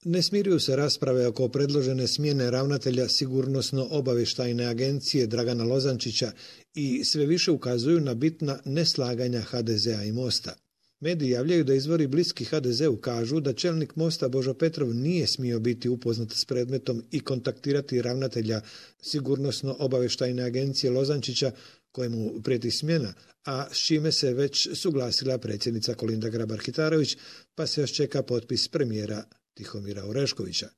Ne smiruju se rasprave oko predložene smjene ravnatelja Sigurnosno-obavještajne agencije Dragana Lozančića i sve više ukazuju na bitna neslaganja HDZ-a i Mosta. Mediji javljaju da izvori bliski HDZ-u kažu da čelnik Mosta Božo Petrov nije smio biti upoznat s predmetom i kontaktirati ravnatelja Sigurnosno-obavještajne agencije Lozančića kojemu prijeti smjena, a s čime se već suglasila predsjednica Kolinda Grabar-Kitarović, pa se još čeka potpis premijera Tihomira Oreškovića.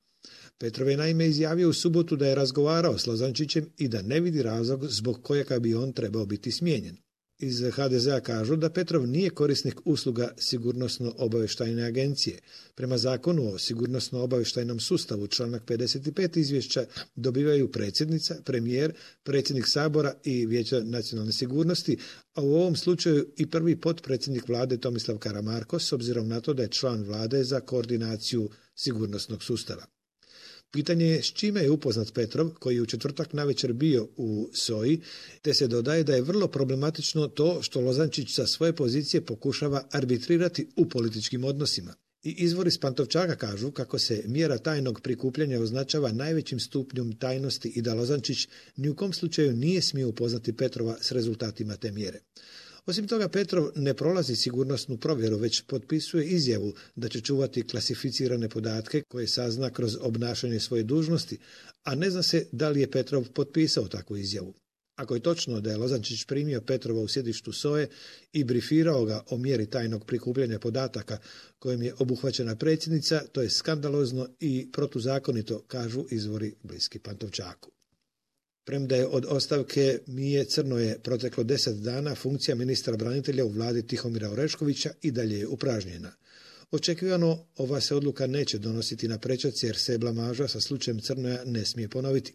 Petrov je naime izjavio u subotu da je razgovarao s Lozančićem i da ne vidi razlog zbog kojega bi on trebao biti smijenjen. Iz HDZ-a kažu da Petrov nije korisnik usluga Sigurnosno-obavještajne agencije. Prema zakonu o sigurnosno-obavještajnom sustavu, članak 55 izvješća dobivaju predsjednica, premijer, predsjednik Sabora i Vijeća nacionalne sigurnosti, a u ovom slučaju i prvi potpredsjednik vlade Tomislav Karamarko, s obzirom na to da je član vlade za koordinaciju sigurnosnog sustava. Pitanje je s čime je upoznat Petrov, koji je u četvrtak navečer bio u SOA-i, te se dodaje da je vrlo problematično to što Lozančić sa svoje pozicije pokušava arbitrirati u političkim odnosima. I izvori s Pantovčaka kažu kako se mjera tajnog prikupljanja označava najvećim stupnjom tajnosti i da Lozančić ni u kom slučaju nije smio upoznati Petrova s rezultatima te mjere. Osim toga, Petrov ne prolazi sigurnosnu provjeru, već potpisuje izjavu da će čuvati klasificirane podatke koje sazna kroz obnašanje svoje dužnosti, a ne zna se da li je Petrov potpisao takvu izjavu. Ako je točno da je Lozančić primio Petrova u sjedištu SOA-e i brifirao ga o mjeri tajnog prikupljanja podataka kojim je obuhvaćena predsjednica, to je skandalozno i protuzakonito, kažu izvori bliski Pantovčaku. Premda je od ostavke Mije Crnoje proteklo 10 dana, funkcija ministra branitelja u vladi Tihomira Oreškovića i dalje je upražnjena. Očekivano, ova se odluka neće donositi na prečac jer se blamaža sa slučajem Crnoja ne smije ponoviti.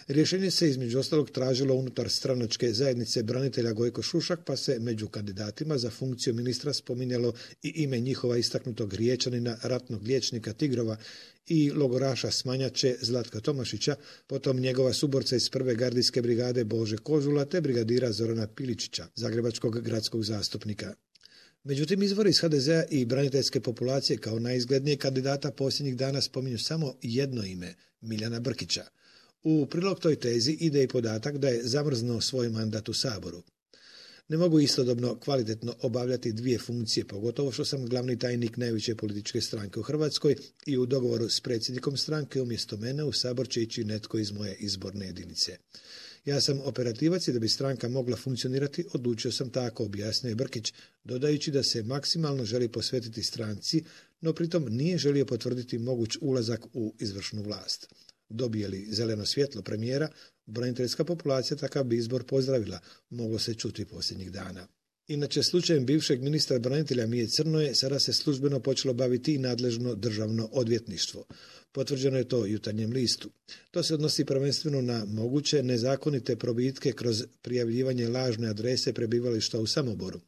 Rješenje se između ostalog tražilo unutar stranačke zajednice branitelja Gojko Šušak, pa se među kandidatima za funkciju ministra spominjalo i ime njihova istaknutog Riječanina, ratnog liječnika Tigrova i logoraša Smanjače Zlatka Tomašića, potom njegova suborca iz prve gardijske brigade Bože Kožula te brigadira Zorana Piličića, zagrebačkog gradskog zastupnika. Međutim, izvori iz HDZ-a i braniteljske populacije kao najizglednijeg kandidata posljednjih dana spominju samo jedno ime, Miljana Brkića. U prilog toj tezi ide i podatak da je zamrznuo svoj mandat u Saboru. Ne mogu istodobno kvalitetno obavljati dvije funkcije, pogotovo što sam glavni tajnik najveće političke stranke u Hrvatskoj i u dogovoru s predsjednikom stranke umjesto mene u Sabor će ići netko iz moje izborne jedinice. Ja sam operativac i da bi stranka mogla funkcionirati, odlučio sam tako, objasnio je Brkić, dodajući da se maksimalno želi posvetiti stranci, no pritom nije želio potvrditi moguć ulazak u izvršnu vlast. Dobije li zeleno svjetlo premijera, braniteljska populacija takav bi izbor pozdravila, moglo se čuti posljednjih dana. Inače, slučajem bivšeg ministra branitelja Mije Crnoje sada se službeno počelo baviti i nadležno državno odvjetništvo. Potvrđeno je to Jutarnjem listu. To se odnosi prvenstveno na moguće nezakonite probitke kroz prijavljivanje lažne adrese prebivališta u Samoboru.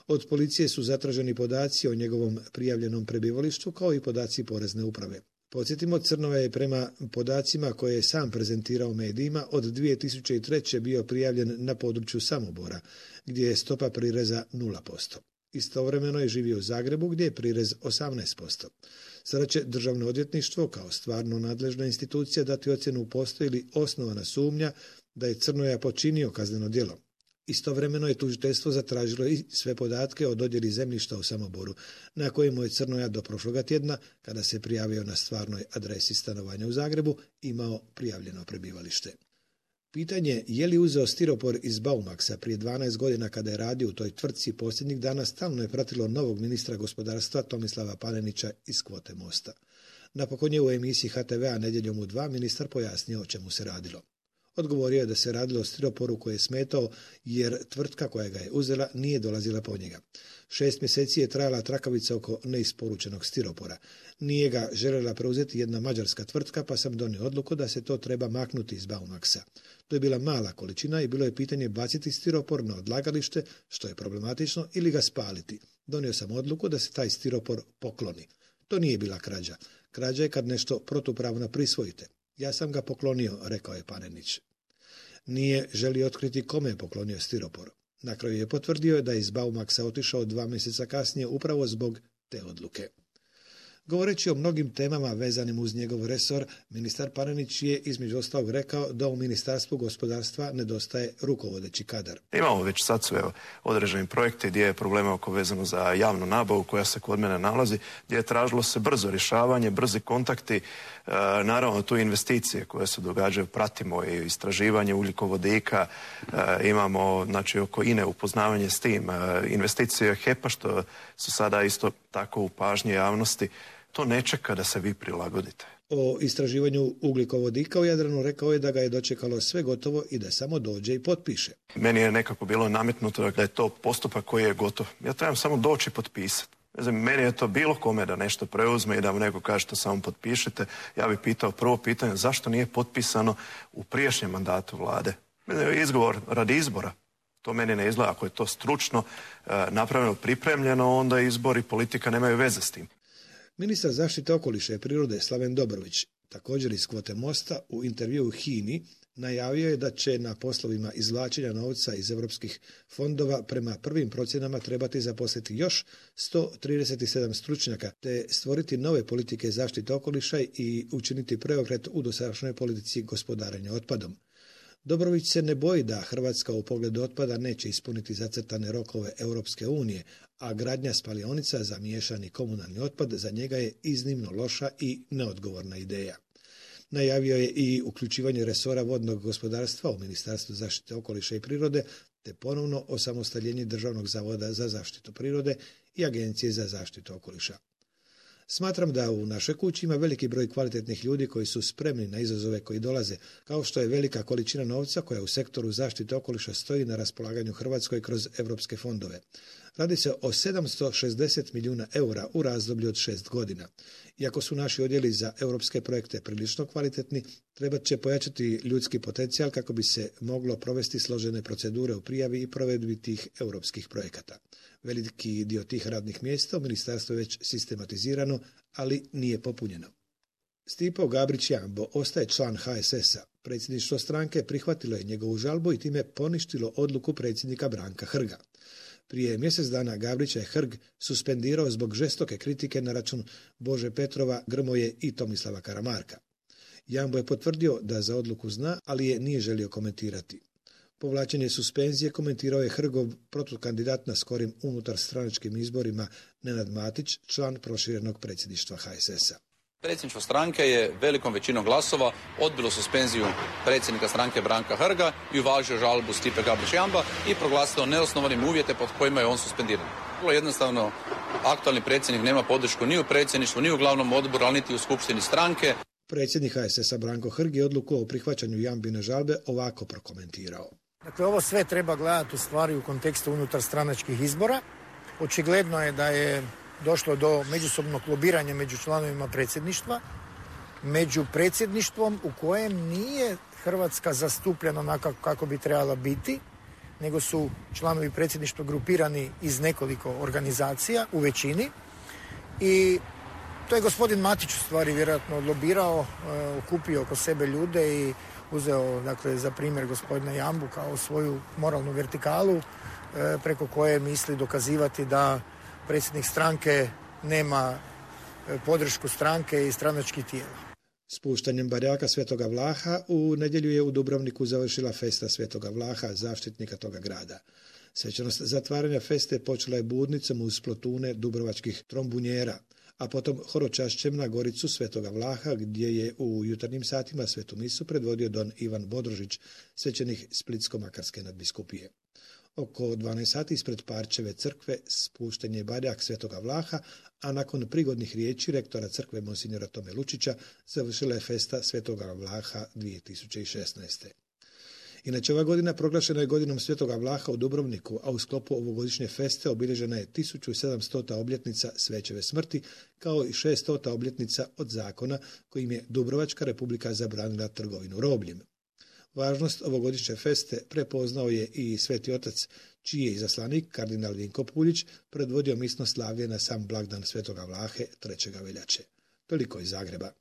Od policije su zatraženi podaci o njegovom prijavljenom prebivalištu kao i podaci porezne uprave. Podsjetimo, Crnova je prema podacima koje je sam prezentirao medijima od 2003. bio prijavljen na području Samobora, gdje je stopa prireza 0%. Istovremeno je živio u Zagrebu, gdje je prirez 18%. Sada će Državno odvjetništvo, kao stvarno nadležna institucija, dati ocjenu postoji li osnovana sumnja da je Crnoja počinio kazneno djelo. Istovremeno je tužiteljstvo zatražilo i sve podatke o dodjeli zemljišta u Samoboru, na kojemu je Crnoja do prošloga tjedna, kada se prijavio na stvarnoj adresi stanovanja u Zagrebu, imao prijavljeno prebivalište. Pitanje je li uzeo stiropor iz Baumaxa prije 12 godina kada je radio u toj tvrtci posljednjih dana stalno je pratilo novog ministra gospodarstva Tomislava Panenića iz kvote Mosta. Napokon je u emisiji HTV-a Nedjeljom u 2 ministar pojasnio o čemu se radilo. Odgovorio je da se radilo o stiroporu koji je smetao jer tvrtka koja ga je uzela nije dolazila po njega. 6 mjeseci je trajala trakavica oko neisporučenog stiropora. Nije ga željela preuzeti jedna mađarska tvrtka, pa sam donio odluku da se to treba maknuti iz Baumaxa. To je bila mala količina i bilo je pitanje baciti stiropor na odlagalište, što je problematično, ili ga spaliti. Donio sam odluku da se taj stiropor pokloni. To nije bila krađa. Krađa je kad nešto protupravno prisvojite. Ja sam ga poklonio, rekao je Panenić. Nije želio otkriti kome je poklonio stiropor. Na kraju je potvrdio da je iz Baumaxa otišao 2 mjeseca kasnije upravo zbog te odluke. Govoreći o mnogim temama vezanim uz njegov resor, ministar Panenić je između ostalog rekao da u Ministarstvu gospodarstva nedostaje rukovodeći kadar. Imamo već sad sve određeni projekte gdje je problema oko vezano za javnu nabavu koja se kod mene nalazi, gdje je tražilo se brzo rješavanje, brzi kontakti, naravno tu investicije koje se događaju, pratimo i istraživanje ugljikovodika, imamo znači oko INE upoznavanje s tim, investicije HEP-a što su sada isto tako u pažnji javnosti. To ne čeka da se vi prilagodite. O istraživanju ugljikovodika u Jadranu rekao je da ga je dočekalo sve gotovo i da samo dođe i potpiše. Meni je nekako bilo nametnuto da je to postupak koji je gotov. Ja trebam samo doći i potpisati. Ne znam, meni je to bilo kome da nešto preuzme i da mu neko kaže to samo potpišite. Ja bih pitao prvo pitanje zašto nije potpisano u prijašnjem mandatu vlade. Izgovor radi izbora. To meni ne izgleda. Ako je to stručno napravljeno, pripremljeno, onda izbor i politika nemaju veze s tim. Ministar zaštite okoliša i prirode Slaven Dobrović, također iz kvote Mosta, u intervjuu HINA-i najavio je da će na poslovima izvlačenja novca iz europskih fondova prema prvim procjenama trebati zaposliti još 137 stručnjaka te stvoriti nove politike zaštite okoliša i učiniti preokret u dosadašnjoj politici gospodarenja otpadom. Dobrović se ne boji da Hrvatska u pogledu otpada neće ispuniti zacrtane rokove Europske unije, a gradnja spalionica za miješani komunalni otpad za njega je iznimno loša i neodgovorna ideja. Najavio je i uključivanje resora vodnog gospodarstva u Ministarstvu zaštite okoliša i prirode, te ponovno osamostaljenje Državnog zavoda za zaštitu prirode i Agencije za zaštitu okoliša. Smatram da u našoj kući ima veliki broj kvalitetnih ljudi koji su spremni na izazove koji dolaze, kao što je velika količina novca koja u sektoru zaštite okoliša stoji na raspolaganju Hrvatskoj kroz europske fondove. Radi se o 760 milijuna eura u razdoblju od 6 godina. Iako su naši odjeli za europske projekte prilično kvalitetni, trebat će pojačati ljudski potencijal kako bi se moglo provesti složene procedure u prijavi i provedbi tih europskih projekata. Veliki dio tih radnih mjesta u ministarstvu je već sistematizirano, ali nije popunjeno. Stipo Gabrić-Jambo ostaje član HSS-a. Predsjedništvo stranke prihvatilo je njegovu žalbu i time poništilo odluku predsjednika Branka Hrga. Prije mjesec dana Gabrića je Hrg suspendirao zbog žestoke kritike na račun Bože Petrova, Grmoje i Tomislava Karamarka. Jambo je potvrdio da za odluku zna, ali je nije želio komentirati. Povlačenje suspenzije komentirao je Hrgov protukandidat na skorim unutarstranačkim izborima Nenad Matić, član proširenog predsjedništva HSS-a. Predsjedništvo stranke je velikom većinom glasova odbilo suspenziju predsjednika stranke Branka Hrga i uvažio žalbu Stipe Gabrić-Jamba i proglasilo neosnovanim uvjete pod kojima je on suspendiran. Vrlo jednostavno, aktualni predsjednik nema podršku ni u predsjedništvu, ni u glavnom odboru, ali niti u skupštini stranke. Predsjednik HSS-a Branko Hrg je odluku o prihvaćanju Jambine žalbe ovako prokomentirao. Dakle, ovo sve treba gledati u stvari u kontekstu unutarstranačkih izbora. Očigledno je da je došlo do međusobnog lobiranja među članovima predsjedništva, među predsjedništvom u kojem nije Hrvatska zastupljena onako kako bi trebala biti, nego su članovi predsjedništva grupirani iz nekoliko organizacija u većini i to je gospodin Matić u stvari vjerojatno odlobirao, okupio oko sebe ljude i uzeo dakle, za primjer gospodina Jambu kao svoju moralnu vertikalu preko koje misli dokazivati da predsjednik stranke nema podršku stranke i stranačkih tijela. Spuštanjem barjaka Svetoga Vlaha u nedjelju je u Dubrovniku završila festa Svetoga Vlaha, zaštitnika toga grada. Svečanost zatvaranja feste počela je budnicom uz plotune dubrovačkih trombunjera, a potom horočašćem na goricu Svetoga Vlaha, gdje je u jutarnjim satima svetu misu predvodio don Ivan Bodrožić, svećenik Splitsko-makarske nadbiskupije. Oko 12 sati ispred Parčeve crkve spušten je barjak Svetoga Vlaha, a nakon prigodnih riječi rektora crkve monsignora Tome Lučića završila je festa Svetoga Vlaha 2016. Inače, ova godina proglašena je godinom Svetoga Vlaha u Dubrovniku, a u sklopu ovogodišnje feste obilježena je 1700. obljetnica Svećeve smrti, kao i 600. obljetnica od zakona kojim je Dubrovačka republika zabranila trgovinu robljem. Važnost ovogodišnje feste prepoznao je i Sveti Otac, čiji je izaslanik, kardinal Vinko Puljić, predvodio misno slavlje na sam blagdan Svetoga Vlahe 3. veljače. Toliko iz Zagreba.